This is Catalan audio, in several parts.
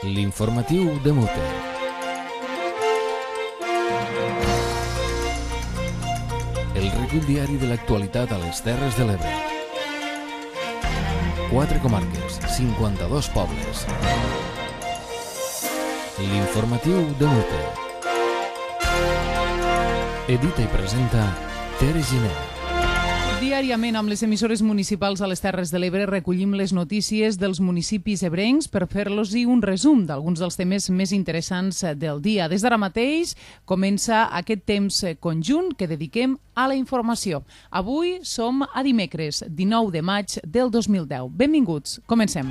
L'informatiu de Mute. El recull diari de l'actualitat a les Terres de l'Ebre. 4 comarques, 52 pobles. L'informatiu de Mute. Edita i presenta Tere Giner. Diàriament amb les emissores municipals a les Terres de l'Ebre recollim les notícies dels municipis ebrencs per fer-los-hi un resum d'alguns dels temes més interessants del dia. Des d'ara mateix comença aquest temps conjunt que dediquem a la informació. Avui som a dimecres, 19 de maig del 2010. Benvinguts, comencem.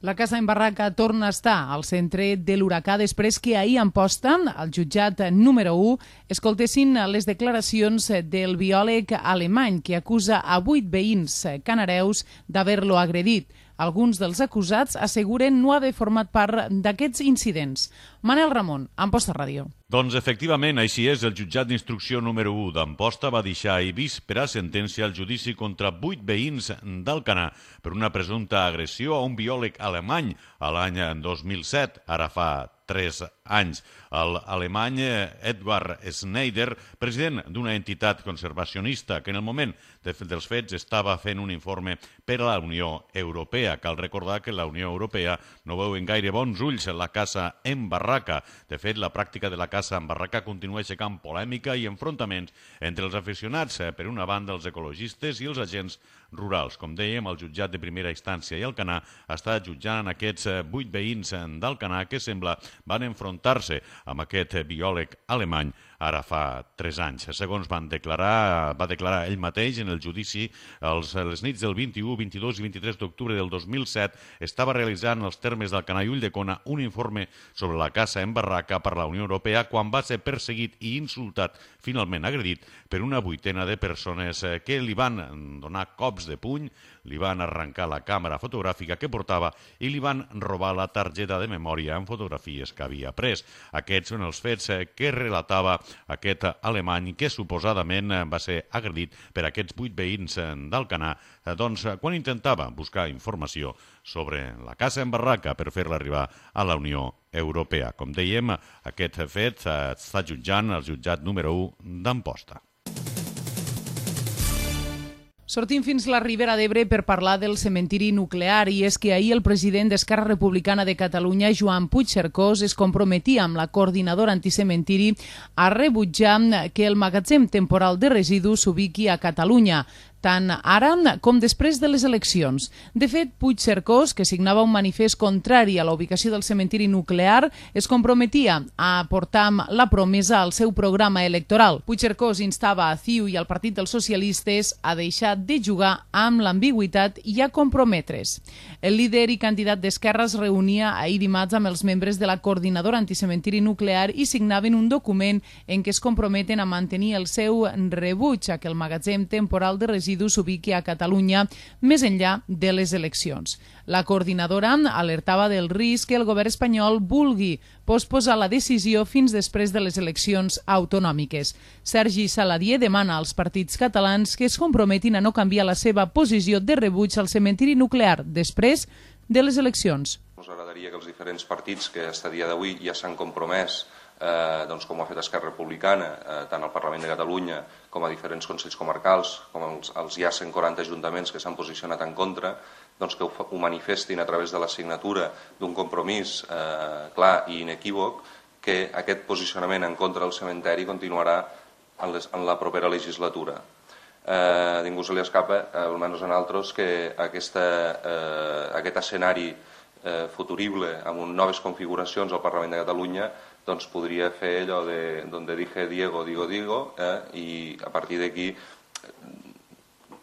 La Casa en Barraca torna a estar al centre de l'huracà després que ahir a Amposta, al jutjat número 1, escoltessin les declaracions del biòleg alemany que acusa a 8 veïns canareus d'haver-lo agredit. Alguns dels acusats asseguren no haver format part d'aquests incidents. Manel Ramon, Amposta Ràdio. Doncs efectivament, així és. El jutjat d'instrucció número 1 d'Amposta va deixar ahir víspera sentència al judici contra 8 veïns d'Alcanar per una presumpta agressió a un biòleg alemany a l'any 2007, ara fa 3 anys. L'alemany Edward Schneider, president d'una entitat conservacionista que en el moment dels fets estava fent un informe per a la Unió Europea. Cal recordar que la Unió Europea no veu en gaire bons ulls la caça en barraca. De fet, la pràctica de la caça en barraca continua aixecant polèmica i enfrontaments entre els aficionats, per una banda els ecologistes i els agents rurals. Com dèiem, el jutjat de primera instància i Alcanar està jutjant aquests 8 veïns d'Alcanar que sembla van enfrontar-se amb aquest biòleg alemany ara fa 3 anys. Segons va declarar ell mateix en el judici, les nits del 21, 22 i 23 d'octubre del 2007 estava realitzant els termes d'Alcanar i Ulldecona un informe sobre la caça en barraca per la Unió Europea quan va ser perseguit i insultat, finalment agredit, per una 8ena de persones que li van donar cops de puny, li van arrencar la càmera fotogràfica que portava i li van robar la targeta de memòria amb fotografies que havia pres. Aquests són els fets que relatava aquest alemany que suposadament va ser agredit per aquests 8 veïns d'Alcanar quan intentava buscar informació sobre la caça en barraca per fer-la arribar a la Unió Europea. Com dèiem, aquest fet està jutjant el jutjat número 1 d'Amposta. Sortim fins la Ribera d'Ebre per parlar del cementiri nuclear i és que ahir el president d'Esquerra Republicana de Catalunya, Joan Puigcercós, es comprometia amb la coordinadora anticementiri a rebutjar que el magatzem temporal de residus s'ubiqui a Catalunya, tant ara com després de les eleccions. De fet, Puigcercós, que signava un manifest contrari a la ubicació del cementiri nuclear, es comprometia a portar la promesa al seu programa electoral. Puigcercós instava a CiU i al Partit dels Socialistes a deixar de jugar amb l'ambigüitat i a comprometre's. El líder i candidat d'Esquerra es reunia ahir dimarts amb els membres de la coordinadora anticementiri nuclear i signaven un document en què es comprometen a mantenir el seu rebuig a que el magatzem temporal de residus s'ubiqui a Catalunya més enllà de les eleccions. La coordinadora alertava del risc que el govern espanyol vulgui posposar la decisió fins després de les eleccions autonòmiques. Sergi Saladier demana als partits catalans que es comprometin a no canviar la seva posició de rebuig al cementiri nuclear després de les eleccions. Ens agradaria que els diferents partits que a dia d'avui ja s'han compromès, com ho ha fet Esquerra Republicana, tant al Parlament de Catalunya com a diferents consells comarcals, com els ja 140 ajuntaments que s'han posicionat en contra, que ho manifestin a través de la signatura d'un compromís clar i inequívoc que aquest posicionament en contra del cementeri continuarà en la propera legislatura. A ningú se li escapa, almenys a nosaltres, que aquest escenari futurible amb noves configuracions al Parlament de Catalunya podria fer allò de donde dije Diego, digo, digo, i a partir d'aquí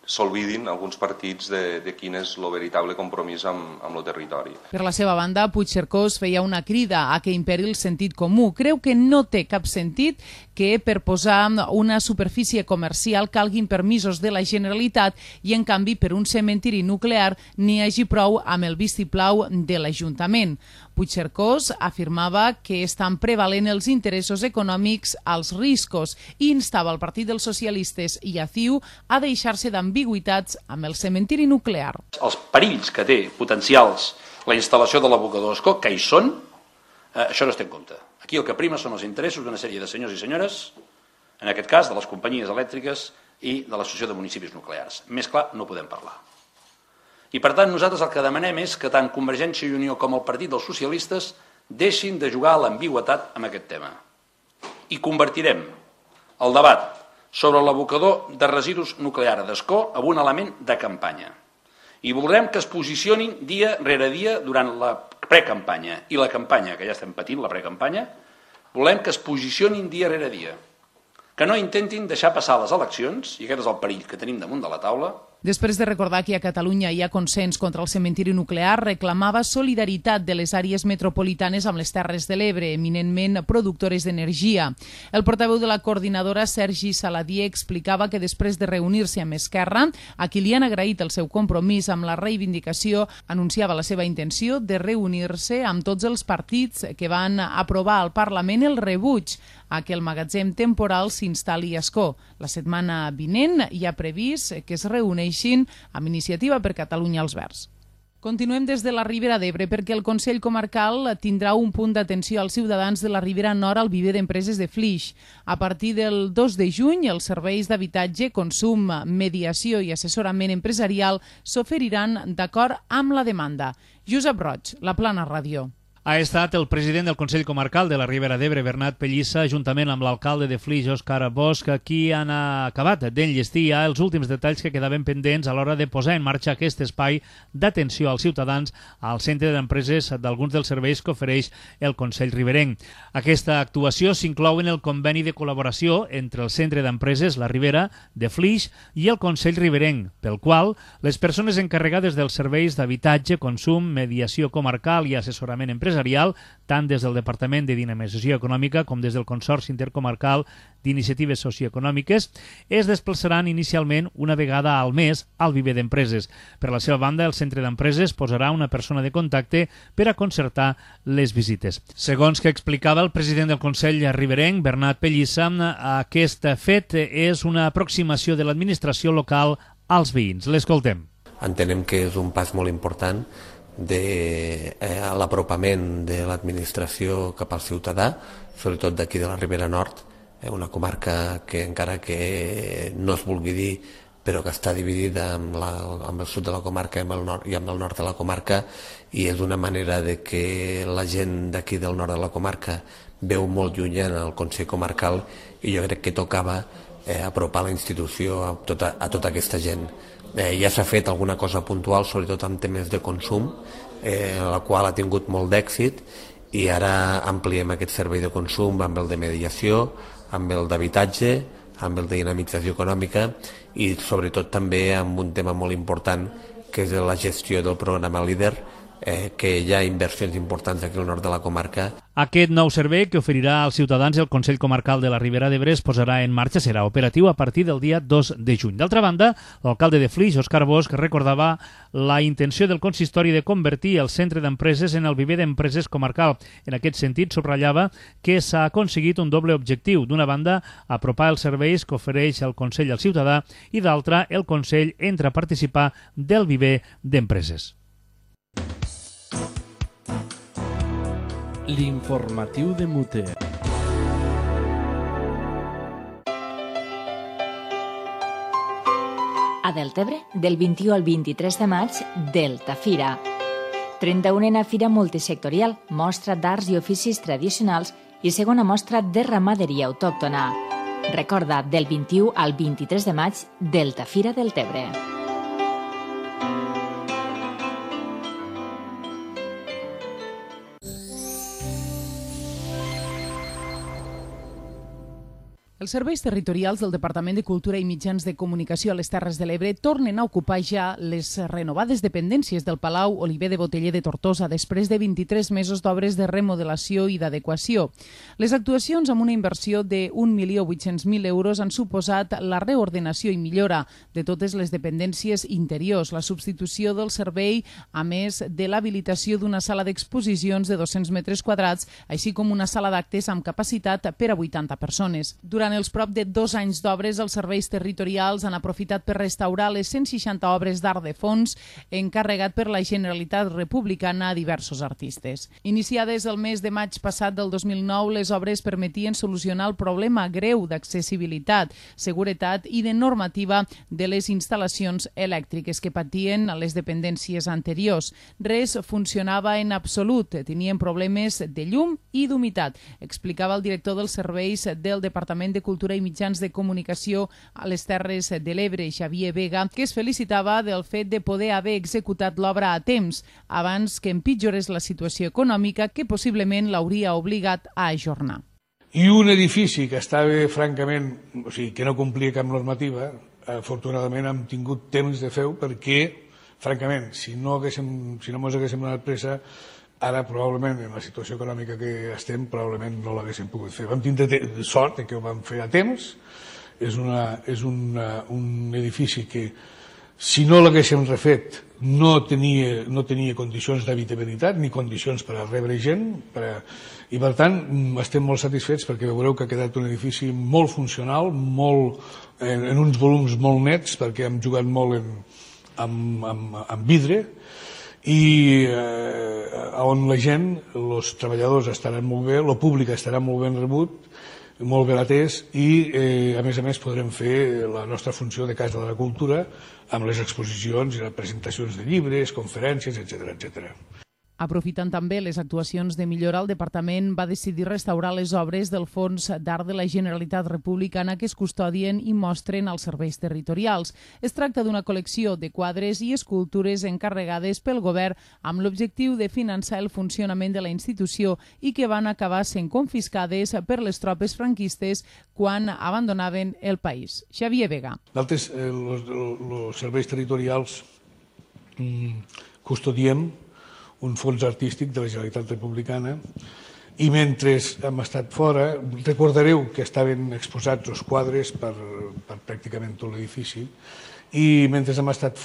s'olvidin alguns partits de quin és el veritable compromís amb el territori. Per la seva banda, Puigcercós feia una crida a que imperi el sentit comú. Creu que no té cap sentit que per posar una superfície comercial calguin permisos de la Generalitat i, en canvi, per un cementiri nuclear n'hi hagi prou amb el vistiplau de l'Ajuntament. Puigcercós afirmava que estan prevalent els interessos econòmics als riscos i instava el Partit dels Socialistes i a CiU a deixar-se d'ambigüitats amb el cementiri nuclear. Els perills que té potencials la instal·lació de l'abocador d'Ascó, que hi són, això no es té en compte. Aquí el que prima són els interessos d'una sèrie de senyors i senyores, en aquest cas de les companyies elèctriques i de l'Associació de Municipis Nuclears. Més clar no podem parlar. I per tant nosaltres el que demanem és que tant Convergència i Unió com el Partit dels Socialistes deixin de jugar a l'ambigüitat amb aquest tema. I convertirem el debat sobre l'abocador de residus nuclear d'Ascó en un element de campanya. I voldrem que es posicionin dia rere dia durant la precampanya i la campanya, que ja estem patint, la precampanya, volem que es posicionin dia rere dia. Que no intentin deixar passar les eleccions, i aquest és el perill que tenim damunt de la taula. Després de recordar que a Catalunya hi ha consens contra el cementiri nuclear, reclamava solidaritat de les àrees metropolitanes amb les Terres de l'Ebre, eminentment productores d'energia. El portaveu de la coordinadora, Sergi Saladier, explicava que després de reunir-se amb Esquerra, a qui li han agraït el seu compromís amb la reivindicació, anunciava la seva intenció de reunir-se amb tots els partits que van aprovar al Parlament el rebuig a que el magatzem temporal s'instal·li a Ascó. La setmana vinent hi ha previst que es reuneixin amb Iniciativa per Catalunya als Verds. Continuem des de la Ribera d'Ebre perquè el Consell Comarcal tindrà un punt d'atenció als ciutadans de la Ribera Nord al viver d'empreses de Flix. A partir del 2 de juny, els serveis d'habitatge, consum, mediació i assessorament empresarial s'oferiran d'acord amb la demanda. Josep Roig, La Plana Ràdio. Ha estat el president del Consell Comarcal de la Ribera d'Ebre, Bernat Pellissa, juntament amb l'alcalde de Flix, Òscar Bosch, qui han acabat d'enllestir ja els últims detalls que quedaven pendents a l'hora de posar en marxa aquest espai d'atenció als ciutadans al centre d'empreses d'alguns dels serveis que ofereix el Consell Riberenc. Aquesta actuació s'inclou en el conveni de col·laboració entre el centre d'empreses La Ribera de Flix i el Consell Riberenc, pel qual les persones encarregades dels serveis d'habitatge, consum, mediació comarcal i assessorament empresarial, tant des del Departament de Dinamització Econòmica com des del Consorci Intercomarcal d'Iniciatives Socioeconòmiques, es desplaçaran inicialment una vegada al mes al viver d'empreses. Per la seva banda, el centre d'empreses posarà una persona de contacte per a concertar les visites. Segons que explicava el president del Consell Riberenc, Bernat Pellissa, aquest fet és una aproximació de l'administració local als veïns. L'escoltem. Entenem que és un pas molt important de l'apropament de l'administració cap al ciutadà, sobretot d'aquí de la Ribera Nord, una comarca que encara que no es vulgui dir, però que està dividida amb el sud de la comarca i amb el nord de la comarca, i és una manera de que la gent d'aquí del nord de la comarca veu molt llunyana el Consell Comarcal, i jo crec que tocava apropar la institució a tota aquesta gent. Ja s'ha fet alguna cosa puntual, sobretot en temes de consum, la qual ha tingut molt d'èxit, i ara ampliem aquest servei de consum amb el de mediació, amb el d'habitatge, amb el de dinamització econòmica i sobretot també amb un tema molt important que és la gestió del programa LEADER, que hi ha inversions importants aquí al nord de la comarca. Aquest nou servei que oferirà als ciutadans el Consell Comarcal de la Ribera d'Ebre es posarà en marxa, serà operatiu a partir del dia 2 de juny. D'altra banda, l'alcalde de Flix, Òscar Bosch, recordava la intenció del consistori de convertir el centre d'empreses en el viver d'empreses comarcal. En aquest sentit, subratllava que s'ha aconseguit un doble objectiu. D'una banda, apropar els serveis que ofereix el Consell al ciutadà i d'altra, el Consell entra a participar del viver d'empreses. L'informatiu de Muter. A Deltebre, del 21 al 23 de maig, Delta Fira. 31a Fira Multisectorial, mostra d'arts i oficis tradicionals i segona mostra de ramaderia autòctona. Recorda, del 21 al 23 de maig, Delta Fira Deltebre. Els serveis territorials del Departament de Cultura i Mitjans de Comunicació a les Terres de l'Ebre tornen a ocupar ja les renovades dependències del Palau Oliver de Boteller de Tortosa després de 23 mesos d'obres de remodelació i d'adequació. Les actuacions amb una inversió de 1.800.000 euros han suposat la reordenació i millora de totes les dependències interiors, la substitució del servei, a més de l'habilitació d'una sala d'exposicions de 200 metres quadrats, així com una sala d'actes amb capacitat per a 80 persones. Durant els prop de 2 anys d'obres, els serveis territorials han aprofitat per restaurar les 160 obres d'art de fons encarregat per la Generalitat Republicana a diversos artistes. Iniciades el mes de maig passat del 2009, les obres permetien solucionar el problema greu d'accessibilitat, seguretat i de normativa de les instal·lacions elèctriques que patien les dependències anteriors. Res funcionava en absolut, tenien problemes de llum i d'humitat, explicava el director dels serveis del Departament de Cultura i Mitjans de Comunicació a les Terres de l'Ebre, Xavier Vega, que es felicitava del fet de poder haver executat l'obra a temps, abans que empitjorés la situació econòmica que possiblement l'hauria obligat a ajornar. I un edifici que estava francament, o sigui, que no complia cap normativa, afortunadament hem tingut temps de fer-ho perquè, francament, si no mos haguéssim donat pressa, ara probablement en la situació econòmica que estem probablement no l'haguéssim pogut fer. Vam tindre sort que ho vam fer a temps. És un edifici que si no l'haguéssim refet no tenia condicions d'habitabilitat ni condicions per a rebre gent i per tant estem molt satisfets perquè veureu que ha quedat un edifici molt funcional, en uns volums molt nets perquè hem jugat molt amb vidre i on la gent, els treballadors estaran molt bé, el públic estarà molt ben rebut, molt ben atès i a més podrem fer la nostra funció de Casa de la Cultura amb les exposicions i les presentacions de llibres, conferències, etc. Aprofitant també les actuacions de millora, el departament va decidir restaurar les obres del Fons d'Art de la Generalitat Republicana que es custodien i mostren als serveis territorials. Es tracta d'una col·lecció de quadres i escultures encarregades pel govern amb l'objectiu de finançar el funcionament de la institució i que van acabar sent confiscades per les tropes franquistes quan abandonaven el país. Xavier Vega. Nosaltres, els serveis territorials, custodiem un fons artístic de la Generalitat Republicana i mentre hem estat fora, recordareu que estaven exposats els quadres per pràcticament tot l'edifici i mentre hem estat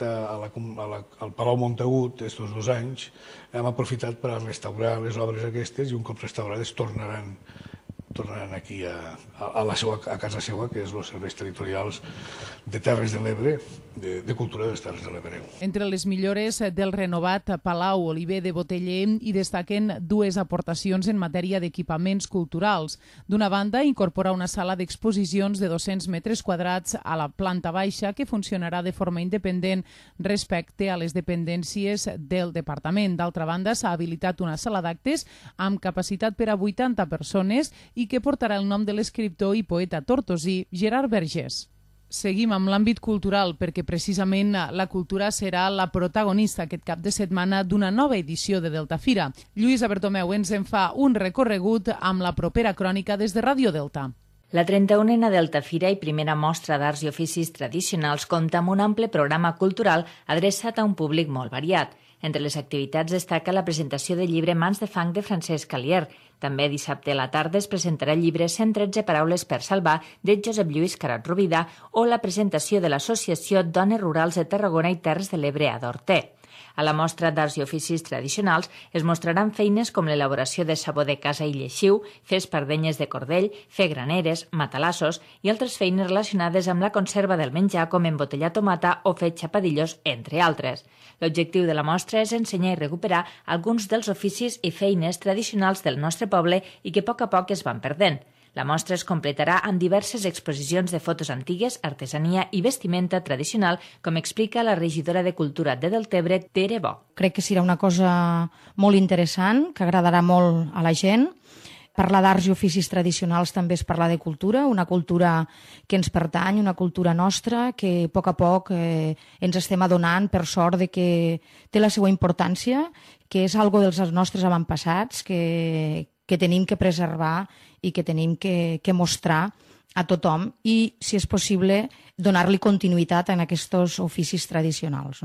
al Palau Montagut aquests 2 anys hem aprofitat per a restaurar les obres aquestes i un cop restaurades tornaran aquí a casa seva, que és els serveis territorials de Terres de l'Ebre, de Cultura de les Terres de l'Ebre. Entre les millores del renovat Palau Oliver de Boteller hi destaquen 2 aportacions en matèria d'equipaments culturals. D'una banda, incorporar una sala d'exposicions de 200 metres quadrats a la planta baixa que funcionarà de forma independent respecte a les dependències del departament. D'altra banda, s'ha habilitat una sala d'actes amb capacitat per a 80 persones i que portarà el nom de l'escriptor i poeta tortosí Gerard Vergés. Seguim amb l'àmbit cultural perquè precisament la cultura serà la protagonista aquest cap de setmana d'una nova edició de Delta Fira. Lluïsa Bertomeu ens en fa un recorregut amb la propera crònica des de Ràdio Delta. La 31a Delta Fira i primera mostra d'arts i oficis tradicionals compta amb un ample programa cultural adreçat a un públic molt variat. Entre les activitats destaca la presentació del llibre Mans de fang de Francesc Calier. També dissabte a la tarda es presentarà el llibre 113 paraules per salvar de Josep Lluís Carat Rovira o la presentació de l'Associació Dones Rurals de Tarragona i Terres de l'Ebre a Dorter. A la mostra d'arts i oficis tradicionals es mostraran feines com l'elaboració de sabó de casa i lleixiu, fer espardenyes de cordell, fer graneres, matalassos i altres feines relacionades amb la conserva del menjar com embotellar tomata o fer xapadillos, entre altres. L'objectiu de la mostra és ensenyar i recuperar alguns dels oficis i feines tradicionals del nostre poble i que a poc es van perdent. La mostra es completarà amb diverses exposicions de fotos antigues, artesania i vestimenta tradicional, com explica la regidora de Cultura de Deltebre, Tere Bo. Crec que serà una cosa molt interessant, que agradarà molt a la gent. Parlar d'arts i oficis tradicionals també és parlar de cultura, una cultura que ens pertany, una cultura nostra, que a poc ens estem adonant, per sort, de que té la seva importància, que és algo dels nostres avantpassats, que que tenim que preservar i que tenim que mostrar a tothom i, si és possible, donar-li continuïtat en aquests oficis tradicionals.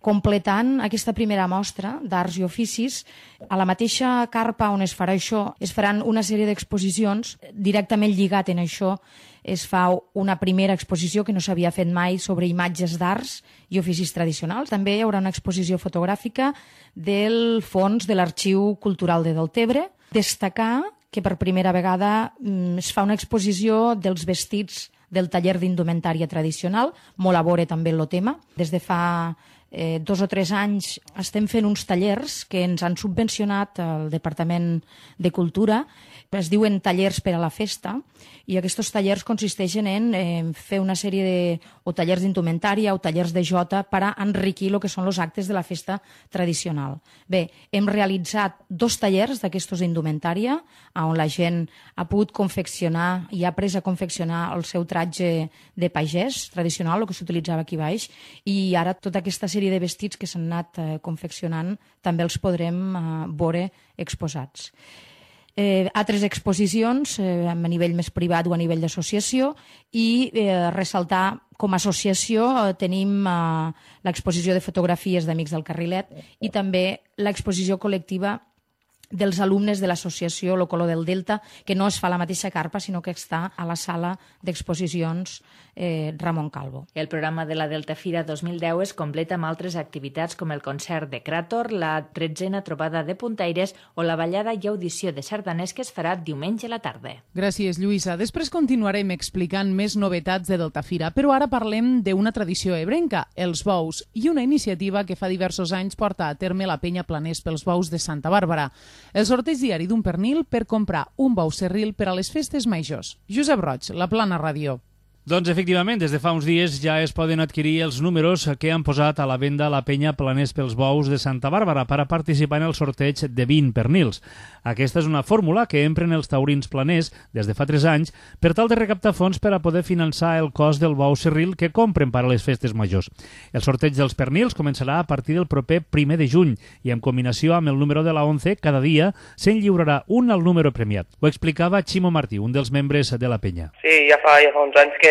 Completant aquesta primera mostra d'arts i oficis, a la mateixa carpa on es farà això, es faran una sèrie d'exposicions directament lligat en això. Es fa una primera exposició que no s'havia fet mai sobre imatges d'arts i oficis tradicionals. També hi haurà una exposició fotogràfica del fons de l'Arxiu Cultural de Deltebre. Destacar que per primera vegada es fa una exposició dels vestits del taller d'indumentària tradicional, molt a veure també el tema. Des de fa 2 o 3 anys estem fent uns tallers que ens han subvencionat el Departament de Cultura, es diuen tallers per a la festa, i aquests tallers consisteixen en fer una sèrie o tallers d'indumentària o tallers de jota per a enriquir el que són els actes de la festa tradicional. Bé, hem realitzat 2 tallers d'aquestos d'indumentària, on la gent ha pogut confeccionar i ha après a confeccionar el seu tratge de pagès tradicional, el que s'utilitzava aquí baix, i ara tota aquesta sèrie de vestits que s'han anat confeccionant també els podrem veure exposats. Altres exposicions a nivell més privat o a nivell d'associació, i ressaltar com a associació tenim l'exposició de fotografies d'Amics del Carrilet i també l'exposició col·lectiva dels alumnes de l'associació Lo Color del Delta, que no es fa a la mateixa carpa, sinó que està a la sala d'exposicions Ramon Calvo. El programa de la Delta Fira 2010 es completa amb altres activitats com el concert de Cràtor, la 13a trobada de puntaires o la ballada i audició de sardaners que es farà diumenge a la tarda. Gràcies, Lluïsa. Després continuarem explicant més novetats de Delta Fira, però ara parlem d'una tradició ebrenca, els bous, i una iniciativa que fa diversos anys porta a terme la penya Planers pels Bous de Santa Bàrbara. El sorteig diari d'un pernil per comprar un bou serril per a les festes majors. Josep Roig, La Plana Ràdio. Doncs efectivament, des de fa uns dies ja es poden adquirir els números que han posat a la venda la penya Planers pels Bous de Santa Bàrbara per a participar en el sorteig de 20 pernils. Aquesta és una fórmula que empren els taurins planers des de fa 3 anys per tal de recaptar fons per a poder finançar el cost del bou serril que compren per a les festes majors. El sorteig dels pernils començarà a partir del proper 1 de juny i en combinació amb el número de la 11 cada dia se'n lliurarà un al número premiat. Ho explicava Ximo Martí, un dels membres de la penya. Sí, ja fa uns anys que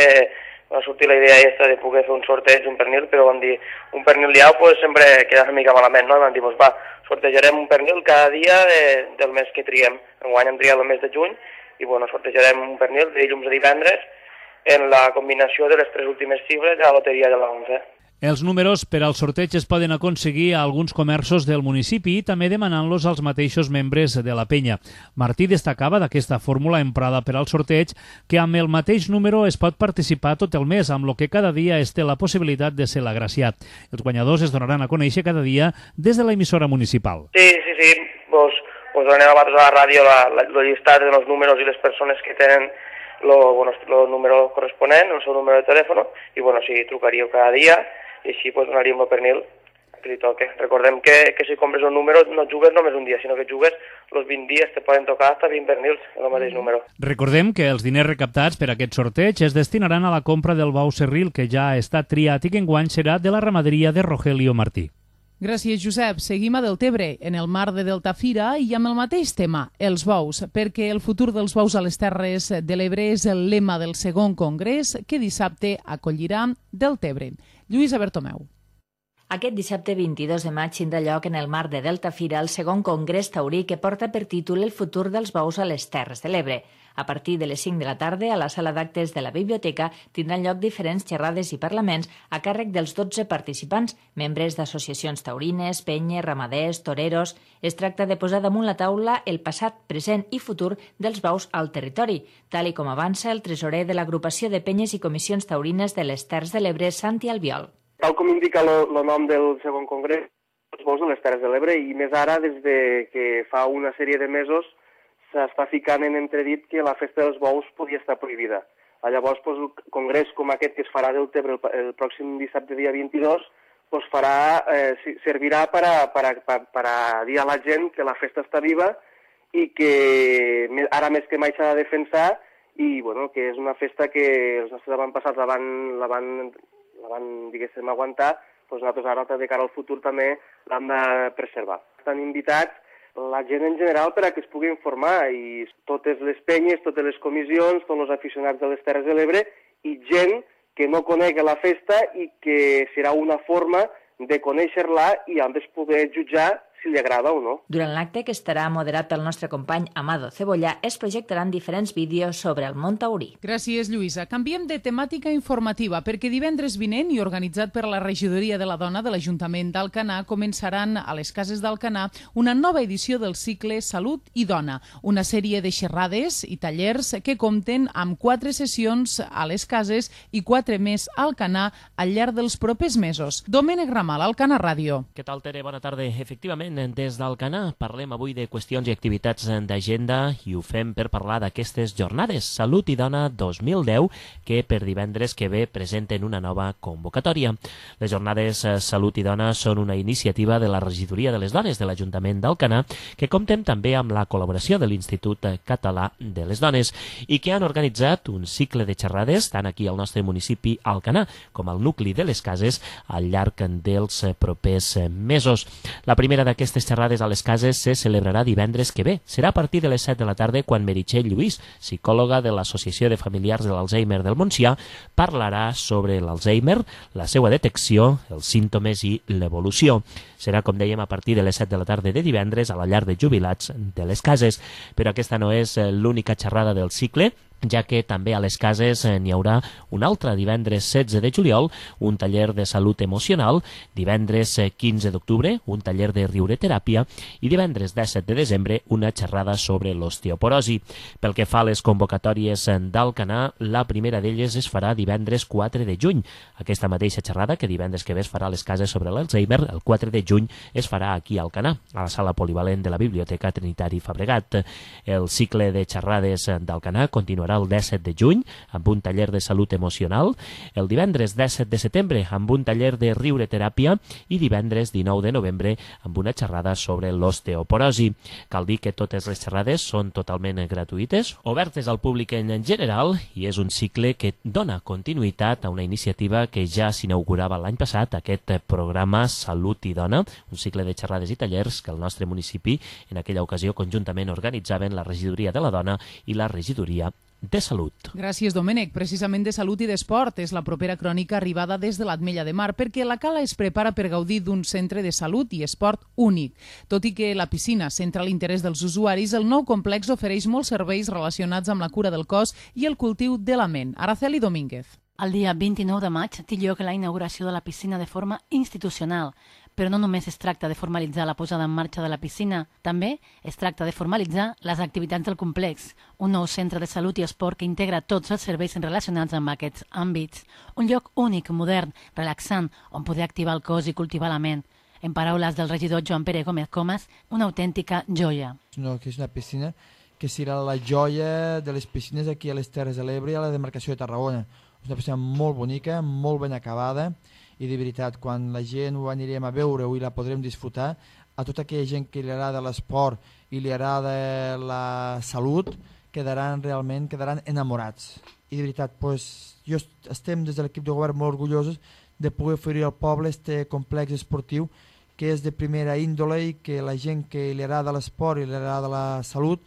va sortir la idea aquesta de poder fer un sorteig d'un pernil, però vam dir, un pernil diau pues, sempre queda una mica malament, no? I vam dir, pues, va, sortejarem un pernil cada dia del mes que triguem. Enguany hem triat el mes de juny i bueno, sortejarem un pernil de dilluns a divendres en la combinació de les 3 últimes xifres de la loteria de la 11. Els números per al sorteig es poden aconseguir a alguns comerços del municipi i també demanant-los als mateixos membres de la penya. Martí destacava d'aquesta fórmula emprada per al sorteig que amb el mateix número es pot participar tot el mes, amb el que cada dia es té la possibilitat de ser l'agraciat. Els guanyadors es donaran a conèixer cada dia des de l'emissora municipal. Sí, vos donem a vosaltres a la ràdio el llistat dels números i les persones que tenen el número corresponent, el seu número de telèfon, i bueno, si trucaríeu cada dia, i així pues, donaríem el pernil que li toque. Recordem que si compres un número no jugues només un dia, sinó que jugues els 20 dies, te poden tocar hasta 20 pernils en el mateix número. Recordem que els diners recaptats per aquest sorteig es destinaran a la compra del bou serril que ja ha estat triat i que enguany serà de la ramaderia de Rogelio Martí. Gràcies, Josep. Seguim a Deltebre, en el mar de Delta Fira, i amb el mateix tema, els bous, perquè el futur dels bous a les Terres de l'Ebre és el lema del segon congrés que dissabte acollirà Deltebre. Lluïsa Bertomeu. Aquest dissabte 22 de maig tindrà lloc en el mar de Delta Fira el segon congrés taurí que porta per títol El futur dels bous a les Terres de l'Ebre. A partir de les 5 de la tarda, a la sala d'actes de la biblioteca, tindran lloc diferents xerrades i parlaments a càrrec dels 12 participants, membres d'associacions taurines, penyes, ramaders, toreros. Es tracta de posar damunt la taula el passat, present i futur dels bous al territori, tal i com avança el tresorer de l'agrupació de penyes i comissions taurines de les Terres de l'Ebre, Santi Albiol. Tal com indica el nom del segon congrés, els bous de les Terres de l'Ebre, i més ara, des de que fa una sèrie de mesos, s'està ficant en entredit que la festa dels bous podia estar prohibida. Llavors, el congrés com aquest que es farà del Tebre el pròxim dissabte, dia 22, servirà per a dir a la gent que la festa està viva i que ara més que mai s'ha de defensar i que és una festa que els nostres avantpassats la van diguéssim, aguantar, nosaltres ara, de cara al futur, també l'hem de preservar. Estan invitats la gent en general per a que es pugui informar, i totes les penyes, totes les comissions, tots els aficionats de les Terres de l'Ebre i gent que no conegui la festa i que serà una forma de conèixer-la i a més poder jutjar si li agrada o no. Durant l'acte, que estarà moderat pel nostre company Amado Cebollà, es projectaran diferents vídeos sobre el món taurí. Gràcies, Lluïsa. Canviem de temàtica informativa, perquè divendres vinent i organitzat per la Regidoria de la Dona de l'Ajuntament d'Alcanar començaran a les cases d'Alcanar una nova edició del cicle Salut i Dona, una sèrie de xerrades i tallers que compten amb 4 sessions a les cases i 4 més a Alcanar al llarg dels propers mesos. Domènec Ramal, Alcanar Ràdio. Què tal, Tere? Bona tarda. Efectivament, des d'Alcanar parlem avui de qüestions i activitats d'agenda i ho fem per parlar d'aquestes jornades Salut i Dona 2010 que per divendres que ve presenten una nova convocatòria. Les jornades Salut i Dona són una iniciativa de la Regidoria de les Dones de l'Ajuntament d'Alcanar que compten també amb la col·laboració de l'Institut Català de les Dones i que han organitzat un cicle de xerrades tant aquí al nostre municipi Alcanar com al nucli de les cases al llarg dels propers mesos. La primera d'aquestes xerrades a les cases se celebrarà divendres que ve. Serà a partir de les 7 de la tarda quan Meritxell Lluís, psicòloga de l'Associació de Familiars de l'Alzheimer del Montsià, parlarà sobre l'Alzheimer, la seva detecció, els símptomes i l'evolució. Serà, com dèiem, a partir de les 7 de la tarda de divendres a la llar de jubilats de les cases. Però aquesta no és l'única xerrada del cicle, ja que també a les cases n'hi haurà un altre divendres 16 de juliol, un taller de salut emocional, divendres 15 d'octubre, un taller de riureteràpia i divendres 17 de desembre una xerrada sobre l'osteoporosi. Pel que fa a les convocatòries d'Alcanar, la primera d'elles es farà divendres 4 de juny. Aquesta mateixa xerrada que divendres que ve es farà a les cases sobre l'Alzheimer, el 4 de juny es farà aquí a Alcanar, a la sala polivalent de la Biblioteca Trinitari Fabregat. El cicle de xerrades d'Alcanar continuarà el 17 de juny amb un taller de salut emocional, el divendres 17 de setembre amb un taller de riureteràpia i divendres 19 de novembre amb una xerrada sobre l'osteoporosi. Cal dir que totes les xerrades són totalment gratuïtes, obertes al públic en general i és un cicle que dona continuïtat a una iniciativa que ja s'inaugurava l'any passat, aquest programa Salut i Dona, un cicle de xerrades i tallers que el nostre municipi en aquella ocasió conjuntament organitzaven la Regidoria de la Dona i la Regidoria de Salut. Gràcies, Domènec. Precisament de salut i d'esport és la propera crònica arribada des de l'Ametlla de Mar, perquè la Cala es prepara per gaudir d'un centre de salut i esport únic. Tot i que la piscina centra l'interès dels usuaris, el nou complex ofereix molts serveis relacionats amb la cura del cos i el cultiu de la ment. Araceli Domínguez. El dia 29 de maig té lloc la inauguració de la piscina de forma institucional, però no només es tracta de formalitzar la posada en marxa de la piscina, també es tracta de formalitzar les activitats del complex, un nou centre de salut i esport que integra tots els serveis relacionats amb aquests àmbits. Un lloc únic, modern, relaxant, on poder activar el cos i cultivar la ment. En paraules del regidor Joan Pere Gómez Comas, una autèntica joia. És una piscina que serà la joia de les piscines aquí a les Terres de l'Ebre i a la demarcació de Tarragona. És una piscina molt bonica, molt ben acabada, i de veritat, quan la gent ho anirem a veure i la podrem disfrutar, a tota aquella gent que li agrada l'esport i li agrada la salut, quedaran enamorats. I de veritat, estem des de l'equip de govern molt orgullosos de poder oferir al poble este complex esportiu que és de primera índole i que la gent que li agrada l'esport i li agrada la salut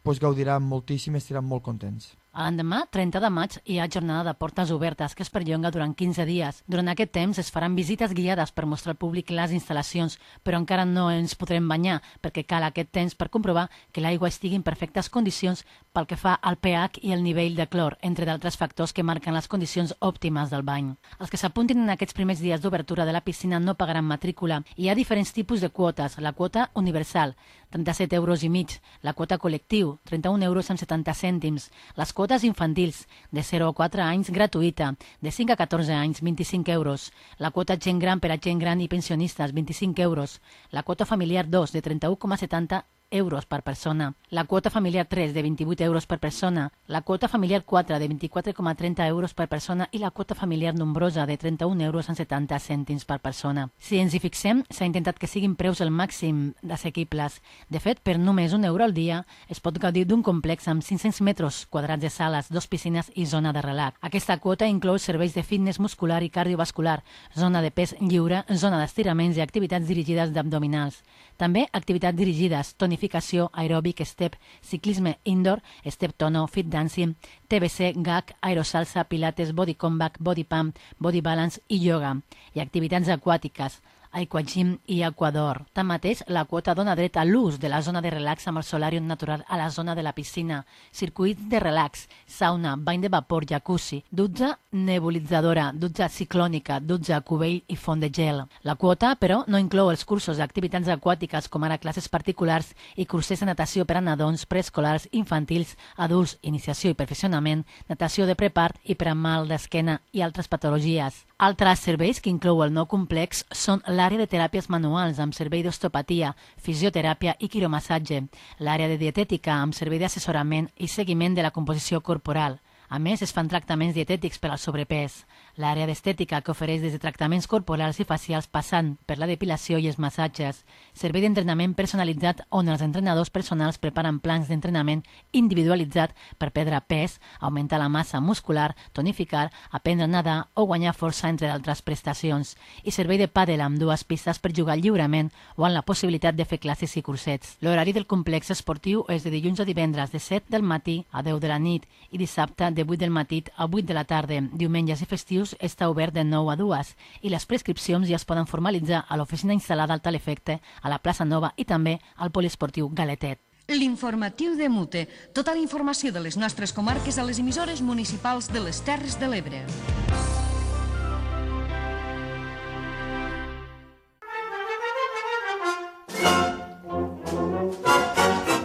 gaudiran moltíssim i estaran molt contents. L'endemà, 30 de maig, hi ha jornada de portes obertes que es perllonga durant 15 dies. Durant aquest temps es faran visites guiades per mostrar al públic les instal·lacions, però encara no ens podrem banyar perquè cal aquest temps per comprovar que l'aigua estigui en perfectes condicions pel que fa al pH i el nivell de clor, entre d'altres factors que marquen les condicions òptimes del bany. Els que s'apuntin en aquests primers dies d'obertura de la piscina no pagaran matrícula. Hi ha diferents tipus de quotes. La quota universal, 37,5 €, la quota col·lectiu, 31,70 €, les quotes infantils, de 0 a 4 anys gratuïta, de 5 a 14 anys 25 €, la quota gent gran per a gent gran i pensionistes 25 €, la quota familiar 2 de 31,70 euros per persona, la quota familiar 3 de 28 euros per persona, la quota familiar 4 de 24,30 euros per persona i la quota familiar nombrosa de 31 euros en 70 cèntims per persona. Si ens hi fixem, s'ha intentat que siguin preus al màxim d'assequibles. De fet, per només €1 al dia es pot gaudir d'un complex amb 500 metres quadrats de sales, 2 piscines i zona de relax. Aquesta quota inclou serveis de fitness muscular i cardiovascular, zona de pes lliure, zona d'estiraments i activitats dirigides d'abdominals. També activitats dirigides, tonificació, aeròbic, step, ciclisme indoor, step tono, fit dancing, TBC, GAC, aerosalsa, pilates, body combat, body pump, body balance i yoga. I activitats aquàtiques, aquagym i aquador. Tanmateix, la quota dona dret a l'ús de la zona de relax amb el solàrium natural a la zona de la piscina, circuits de relax, sauna, bany de vapor, jacuzzi, dutxa nebulitzadora, dutxa ciclònica, dutxa cubell i font de gel. La quota, però, no inclou els cursos d'activitats aquàtiques com ara classes particulars i cursers de natació per a nadons, preescolars, infantils, adults, iniciació i perfeccionament, natació de prepart i per a mal d'esquena i altres patologies. Altres serveis que inclou el nou complex són l'àrea de teràpies manuals amb servei d'osteopatia, fisioteràpia i quiromassatge, l'àrea de dietètica amb servei d'assessorament i seguiment de la composició corporal. A més, es fan tractaments dietètics per al sobrepès. L'àrea d'estètica, que ofereix des de tractaments corporals i facials passant per la depilació i els massatges. Servei d'entrenament personalitzat on els entrenadors personals preparen plans d'entrenament individualitzat per perdre pes, augmentar la massa muscular, tonificar, aprendre a nedar o guanyar força, entre d'altres prestacions. I servei de pàdel amb 2 pistes per jugar lliurement o amb la possibilitat de fer classes i cursets. L'horari del complex esportiu és de dilluns a divendres de 7 del matí a 10 de la nit i dissabte de 8 del matí a 8 de la tarda. Diumenges i festius està obert de 9 a 2 i les prescripcions ja es poden formalitzar a l'oficina instal·lada al Telefecte, a la plaça Nova i també al poliesportiu Galetet. L'informatiu de Mute. Tota la informació de les nostres comarques a les emissores municipals de les Terres de l'Ebre.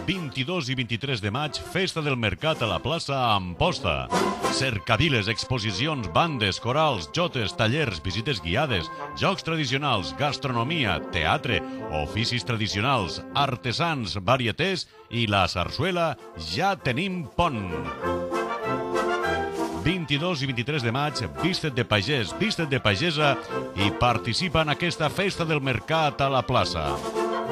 El 22 i 23 de maig, Festa del Mercat a la plaça Amposta. Cercaviles, exposicions, bandes, corals, jotes, tallers, visites guiades, jocs tradicionals, gastronomia, teatre, oficis tradicionals, artesans, varietés i la sarsuela Ja tenim pont. 22 i 23 de maig, Viste't de pagès, Viste't de pagesa i participa en aquesta Festa del Mercat a la plaça.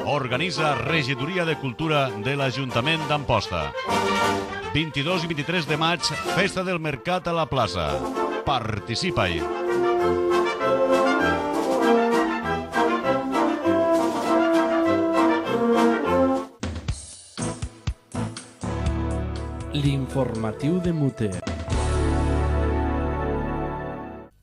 Organitza Regidoria de Cultura de l'Ajuntament d'Amposta. 22 i 23 de maig, Festa del Mercat a la plaça. Participa-hi! L'informatiu de Mute.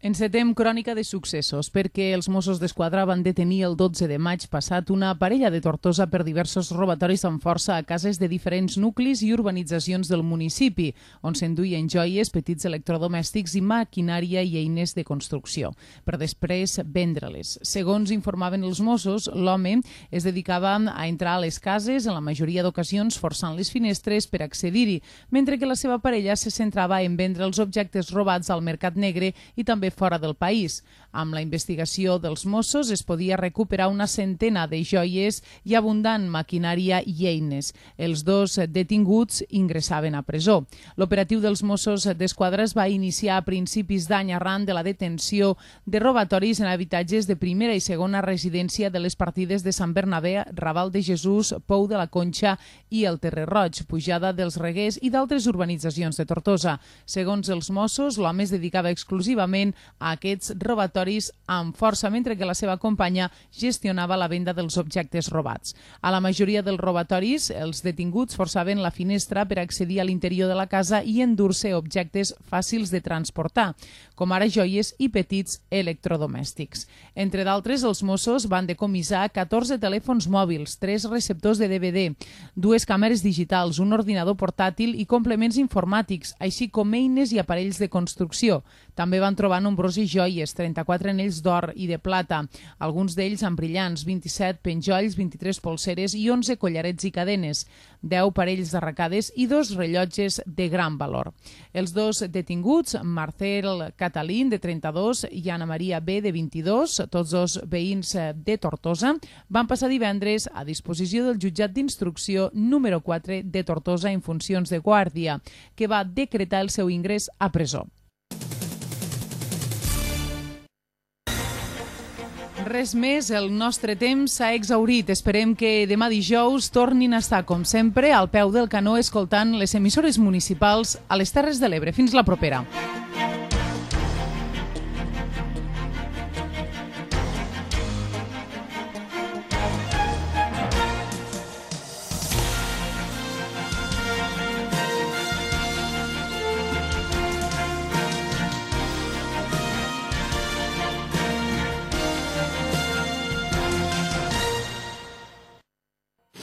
Encetem crònica de successos perquè els Mossos d'Esquadra van detenir el 12 de maig passat una parella de Tortosa per diversos robatoris amb força a cases de diferents nuclis i urbanitzacions del municipi, on s'enduien joies, petits electrodomèstics i maquinària i eines de construcció, per després vendre-les. Segons informaven els Mossos, l'home es dedicava a entrar a les cases, en la majoria d'ocasions forçant les finestres per accedir-hi, mentre que la seva parella se centrava en vendre els objectes robats al mercat negre i també fora del país. Amb la investigació dels Mossos es podia recuperar una centena de joies i abundant maquinària i eines. Els 2 detinguts ingressaven a presó. L'operatiu dels Mossos d'Esquadra es va iniciar a principis d'any arran de la detenció de robatoris en habitatges de primera i segona residència de les partides de Sant Bernabé, Raval de Jesús, Pou de la Conxa i el Terrer Roig, Pujada dels Reguers i d'altres urbanitzacions de Tortosa. Segons els Mossos, l'home es dedicava exclusivament a aquests robatoris amb força, mentre que la seva companya gestionava la venda dels objectes robats. A la majoria dels robatoris, els detinguts forçaven la finestra per accedir a l'interior de la casa i endur-se objectes fàcils de transportar, com ara joies i petits electrodomèstics. Entre d'altres, els Mossos van decomissar 14 telèfons mòbils, 3 receptors de DVD, 2 càmeres digitals, un ordinador portàtil i complements informàtics, així com eines i aparells de construcció. També van trobar nombroses joies, 34 34 anells d'or i de plata, alguns d'ells amb brillants, 27 penjolls, 23 polseres i 11 collarets i cadenes, 10 parells d'arracades i 2 rellotges de gran valor. Els dos detinguts, Marcel Catalín, de 32, i Anna Maria B, de 22, tots dos veïns de Tortosa, van passar divendres a disposició del jutjat d'instrucció número 4 de Tortosa en funcions de guàrdia, que va decretar el seu ingrés a presó. Res més, el nostre temps s'ha exhaurit. Esperem que demà dijous tornin a estar, com sempre, al peu del canó escoltant les emissores municipals a les Terres de l'Ebre. Fins la propera.